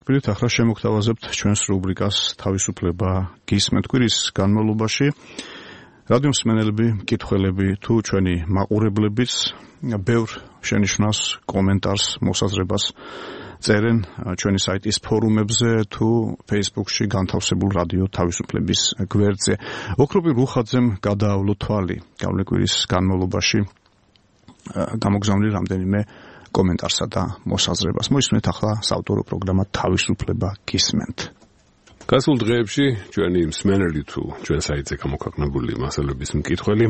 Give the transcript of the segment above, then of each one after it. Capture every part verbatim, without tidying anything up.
Პირით ახლა შემოგთავაზებთ ჩვენს რუბრიკას თავისუფლება გისმენთ. კვირის განმავლობაში რადიო მსმენელები, მკითხველები თუ ჩვენი მაყურებლებიც ბევრ შენიშვნას, კომენტარს, მოსაზრებას წერენ ჩვენი საიტის ფორუმებზე თუ Facebook-ში განთავსებულ რადიო თავისუფლების გვერდზე. ოქროპი რუხაძემ გადაავლო თვალი გავლე კვირის განმავლობაში გამოგზავნილი რამდენიმე კომენტარსა და მოსაზრებას. მოისმენთ ახლა საავტორო პროგრამა თავისუფლება გისმენთ. გასულ დღეებში ჩვენი მსმენელი თუ ჩვენ საიტზე გამოქვეყნებული მასალების მკითხველი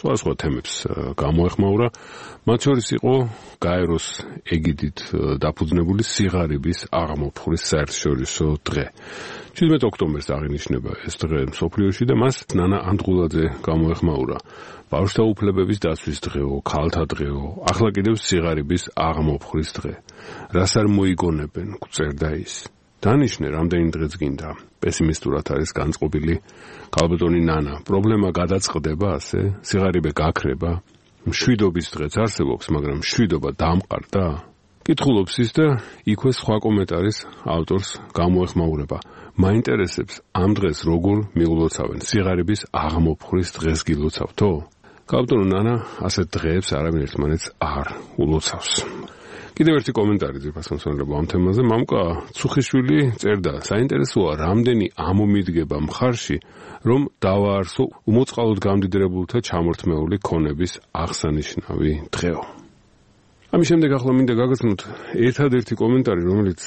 სხვადასხვა თემებს გამოეხმაურა. მათ შორის იყო გაეროს ეგიდით დაფუძნებული სიღარიბის აღმოფხვრის საერთაშორისო დღე. შვიდმეტი ოქტომბერს აღინიშნება ეს დღე მსოფლიოში და მას ნანა ანდღულაძე გამოეხმაურა. ბავშვთა უფლებების დაცვის დღეო, ქალთა დღეო, ახლა კიდევ სიღარიბის აღმოფხვრის დღე. რას არ მოიგონებენ, გვწერდა ის. დანიშნე, რამდენი დღეც გინდა. პესიმისტურად არის განწყობილი ქალბატონი ნანა. პრობლემა გადაწყდება ასე, სიღარიბე გაქრება. მშვიდობის დღეც არსებობს, მაგრამ მშვიდობა დამყარდა. კითხულობს ის და იქვე სხვა კომენტარის ავტორს გამოეხმაურება. მაინტერესებს ამ დღეს როგორ მიგლოცავენ, სიღარიბის აღმოფხვრის დღეს გილოცავთო? ქალბატონო ნანა ასეთ დღეებს არავინ ერთმანეთს არ ულოცავს. კიდევ ერთი კომენტარი ძირფასმოსავლება ამ თემაზე. მამუკა ცუხიშვილი წერდა, საინტერესოა რამდენი ამომიდგება მხარში, რომ დავაარსო უმოწყალოდ გამდიდრებულთა ჩამორთმეული ქონების აღსანიშნავი დღეო. ამის შემდეგ ახლა მინდა გაგაცნოთ ერთადერთი კომენტარი, რომელიც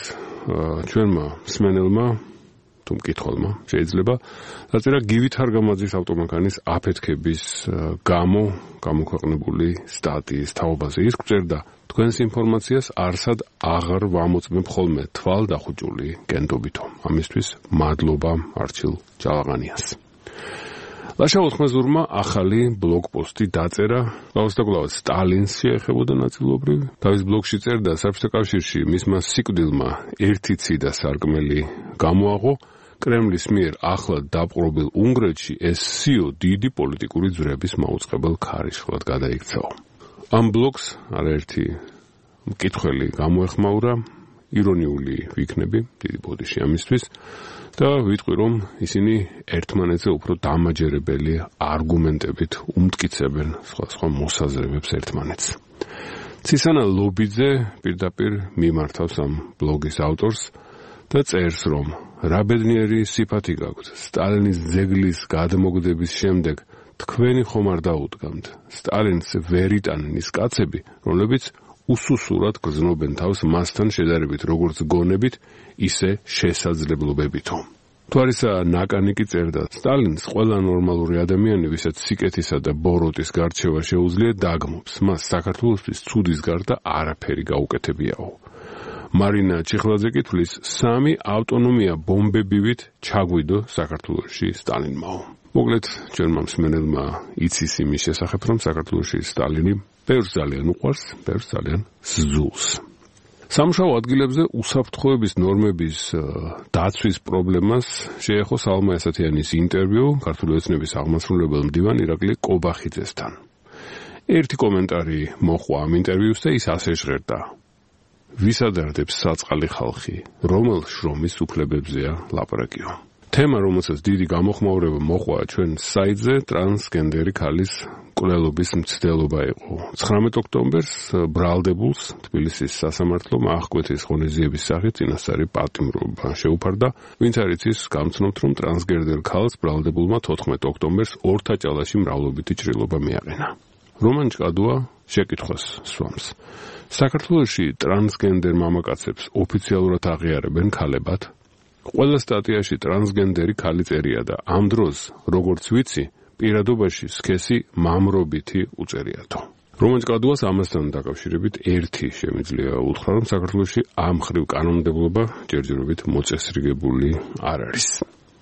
ჩვენმა მსმენელმა თუ მკითხველმა შეიძლება დაწერა გივი თარგამაძის ავტომანქანის აფეთქების გამო გამოქვეყნებული სტატიის თაობაზე. ის გვწერდა, თქვენს ინფორმაციას არსად აღარ ვამოწმებ ხოლმე თვალ დახუჭული გენდობითო. ამისთვის მადლობა არჩილ ჯალაღანიას. ლაშა ოთხმაზურმა ახალი ბლოგპოსტი დაწერა, კლავს და კლავს სტალინს შეეხებოდა ნაწილობრივ. თავის ბლოგში წერდა, საბჭოთა კავშირში მისმა სიკვდილმა ერთი ციდა სარკმელი გამოაღო. კრემლის მიერ ახლად დაპყრობილ უნგრეთში ეს სიო დიდი პოლიტიკური ძვრების მაუწყებელ ქარიშხლად გადაიქცაო. ამ ბლოგს არაერთი მკითხველი გამოეხმაურა, ირონიული ვიქნები, დიდი ბოდიში ამისთვის და ვიტყვი, რომ ისინი ერთმანეთზე უფრო დამაჯერებელი არგუმენტებით უმტკიცებენ სხვა მოსაზრებებს ერთმანეთს. ცისანა ლობიძე პირდაპირ მიმართავს ამ ბლოგის ავტორს და წერს, რომ რა ბედნიერი სიფათი გაქვთ, სტალინის ძეგლის გადმოგდების შემდეგ თქვენი ხომ არ დაუდგამთ. სტალინს ვერ იტანენ ის კაცები, რომლებიც უსუსურად გრძნობენ თავს მასთან შედარებით როგორც გონებით, ისე შესაძლებლობებითო. თუ არისა ნაკანი კი წერდა, სტალინს ყველა ნორმალური ადამიანი, ვისაც სიკეთისა და ბოროტის გარჩევა შეუძლია, დაგმობს. მას საქართველოსთვის ცუდის გარდა არაფერი გაუკეთებიაო. მარინა ჩიხლაძე კითხვის, სამი ავტონომია ბომბებივით ჩაგვიდო საქართველოში სტალინმაო. მოკლედ, ჩვენმა მსმენელმა იცის იმის შესახებ, რომ საქართველოში სტალინი ბევრს ძალიან უყვარს, ბევრს ძალიან სძულს. სამუშაო ადგილებზე უსაფრთხოების ნორმების დაცვის პრობლემას შეეხო სალმა ესათიანის ინტერვიუ ქართული ოცნების აღმასრულებელ მდივან ირაკლი კობახიძესთან. ერთი კომენტარი მოჰყვა ამ ინტერვიუს და ის ასე ჟღერდა. ვისადარდებს საწყალი ხალხი, რომელ შრომის უფლებებზეა ლაპარაკიო. თემა, რომელსაც დიდი გამოხმაურება მოჰყვა ჩვენ საიტზე, ტრანსგენდერი ქალის კვლელობის მცდელობა იყო. ცხრამეტი ოქტომბერს ბრალდებულს თბილისის სასამართლომ აღკვეთის ღონისძიების სახით წინასწარი პატიმრობა შეუფარდა, ვინც არ იცის გამცნობთ, რომ ტრანსგენდერ ქალს ბრალდებულმა თოთხმეტი ოქტომბერს ორთაჭალაში მრავლობითი ჭრილობა მიაყენა. რომან ჭკადუა შეკითხვას სვამს. საქართველოში ტრანსგენდერ მამაკაცებს ოფიციალურად აღიარებენ ქალებად? ყველა სტატიაში ტრანსგენდერი ქალი წერია და ამ დროს, როგორც ვიცი, პირადობაში სქესი მამრობითი უწერიათო. რომან ჭკადუას ამასთან დაკავშირებით ერთი შემიძლია უთხრა, რომ საქართველოში ამ ხრივ კანონმდებლობა ჯერჯერობით მოწესრიგებული არ არის.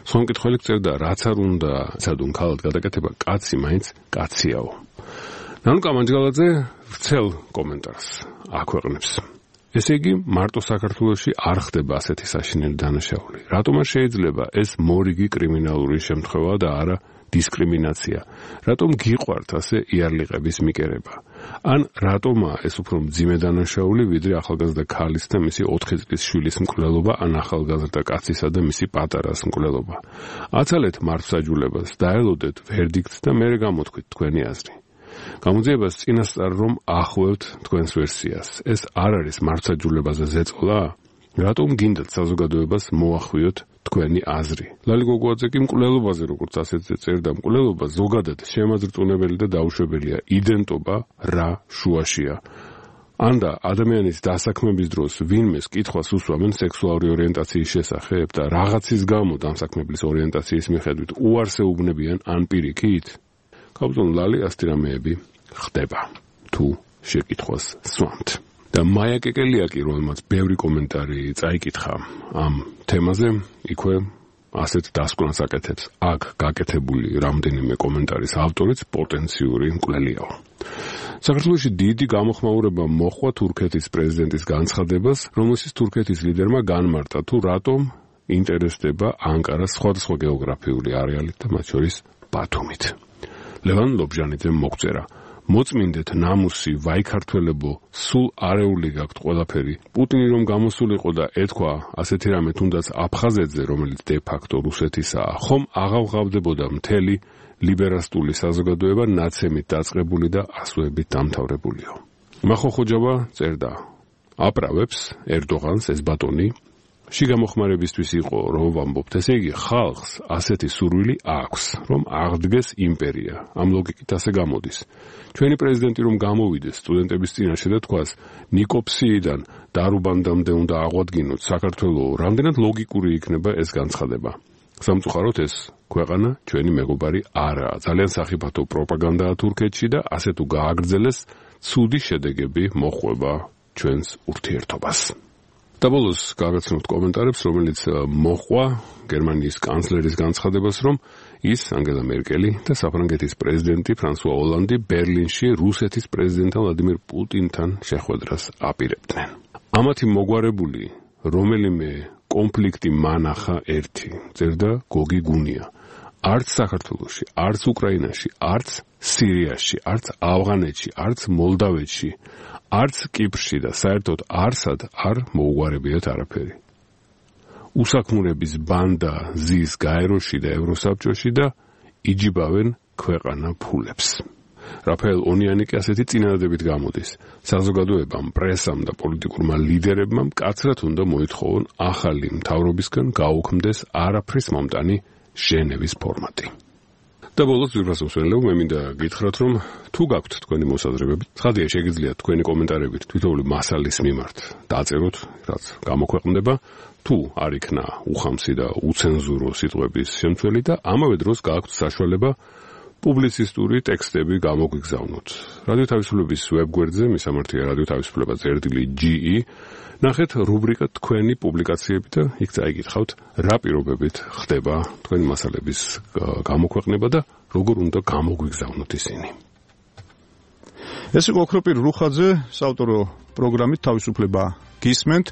სხვა მკითხველი წერდა, რაც არ უნდა ცადუნ ქალად გადაკეთება, კაცი მაინც კაციაო. ნანუკა მანჯგალაძე ვრცელ კომენტარს აქვეყნებს. ესე იგი, მარტო საქართველოში არ ხდება ასეთი საშინელი დანაშაული. რატომ არ შეიძლება ეს მორიგი კრიმინალური შემთხვევა და არა დისკრიმინაცია? რატომ გიყვართ ასე იარლიყების მიკერება? ან რატომაა ეს უფრო მძიმე დანაშაული, ვიდრე ახალგაზრდა ქალის და მისი ოთხი წლის შვილის მკვლელობა, ან ახალგაზრდა კაცისა და მისი პატარას მკვლელობა? აცალეთ მართლმსაჯულებას, დაელოდეთ ვერდიქტს და მერე გამოთქვით თქვენი აზრი. გამოძიებას წინასწარ რომ ახვევთ თქვენს ვერსიას. ეს არ არის მართლმსაჯულებაზე ზეწოლა? რატომ გინდათ საზოგადოებას მოახვიოთ თქვენი აზრი? ლალი გოგოაძე კი მკვლელობაზე, როგორც ასეთზე წერდა, მკვლელობა ზოგადად შემაძრწუნებელი და დაუშვებელია. იდენტობა რა შუაშია. ანდა ადამიანის დასაქმების დროს ვინმეს კითხვას უსვამენ სექსუალური ორიენტაციის შესახებ და რაღაცის გამო დამსაქმებლის ორიენტაციის მიხედვით უარს ეუბნებიან ან პირიქით? კაბზონ ლალი ასეთი რამეები ხდება თუ შეკითხვას სვამთ. და მაია კეკელიაკი, რომელმაც ბევრი კომენტარი წაიკითხა ამ თემაზე, იქვე ასეთ დასკვნას აკეთებს. აქ გაკეთებული რამდენიმე კომენტარის ავტორიც პოტენციური მკვლელიაო. საქართველოში დიდი გამოხმაურება მოჰყვა თურქეთის პრეზიდენტის განცხადებას, რომელშიც თურქეთის ლიდერმა განმარტა თუ რატომ ინტერესდება ანკარას სხვადასხვა გეოგრაფიული არეალით და მათ შორის ბათუმით. ლევან ლობჟანიძემ მოგწერა: მოწმინდეთ ნამუსი, ვაიქართველებო, სულ არეული გაქვთ ყველაფერი. პუტინი რომ გამოსულიყო და ეთქვა ასეთი რამე თუნდაც აფხაზეთზე, რომელიც დე-ფაქტო რუსეთისაა, ხომ აღავღავდებოდა მთელი ლიბერასტული საზოგადოება ნაცემით დაწყებული და ასოებით დამთავრებულიო. მახოხოჯავა წერდა: აპრავებს ერდოღანს ეს ბატონი შიგამოხმარებისთვის იყო, რომ ვამბობთ, ესე იგი ხალხს ასეთი სურვილი აქვს, რომ აღდგეს იმპერია. ამ ლოგიკით ასე გამოდის. ჩვენი პრეზიდენტი რომ გამოვიდეს სტუდენტების წინაშე და თქვას, ნიკოფსიიდან დარუბანდამდე უნდა აღვადგინოთ საქართველო, რამდენად ლოგიკური იქნება ეს განცხადება. სამწუხაროდ ეს ქვეყანა ჩვენი მეგობარი არაა. ძალიან სახიფათო პროპაგანდაა თურქეთში და ასე თუ გააგრძელეს, ცუდი შედეგები მოჰყვება ჩვენს ურთიერთობას. და ბოლოს გაგაცნობთ კომენტარებს, რომელიც მოჰყვა გერმანიის კანცლერის განცხადებას, რომ ის, ანგელა მერკელი და საფრანგეთის პრეზიდენტი ფრანსუა ოლანდი ბერლინში რუსეთის პრეზიდენტ ვლადიმირ პუტინთან შეხვედრას აპირებდნენ. ამათი მოგვარებული რომელიმე კონფლიქტი მანახა ერთი, წერდა გოგი გუნია. არც საქართველოში, არც უკრაინაში, არც სირიაში, არც ავღანეთში, არც მოლდავეთში, არც კიპრში და საერთოდ არსად არ მოუგვარებიათ არაფერი. უსაქმურების ბანდა ზის გაეროში და ევროსაბჭოში და იჯიბავენ ქვეყანა ფულებს. რაფაელ ონიანი კი ასეთი წინადადებით გამოდის. საზოგადოებამ, პრესამ და პოლიტიკურმა ლიდერებმა მკაცრად უნდა მოითხოვონ ახალი მთავრობისგან გაუქმდეს არაფრის მომტანი ჟენევის ფორმატი. და ბოლოს ძვირფასმსვლელო, მე მინდა გითხრათ, რომ თუ გაქვთ თქვენი მოსაზრებები, ცხადია შეგიძლიათ თქვენი კომენტარებით თითოეული მასალის მიმართ დაწეროთ, რაც გამოქვეყნდება, თუ არ იქნა უხამსი და უცენზურო სიტყვების შემცველი და ამავე დროს გააქვთ საშუალება პუბლიცისტური ტექსტები გამოგვიგზავნოთ. რადიო თავისუფლების ვებგვერდზე, მისამართია რადიო თავისუფლება წერტილი ჯი ი, ნახეთ რუბრიკა თქვენი პუბლიკაციები და იქ წაიგითხავთ, რა პირობებით ხდება თქვენი მასალების გამოქვეყნება და როგორ უნდა გამოგვიგზავნოთ ისინი. ეს იყო ოქროპირ რუხაძე, საავტორო პროგრამით თავისუფლება გისმენთ.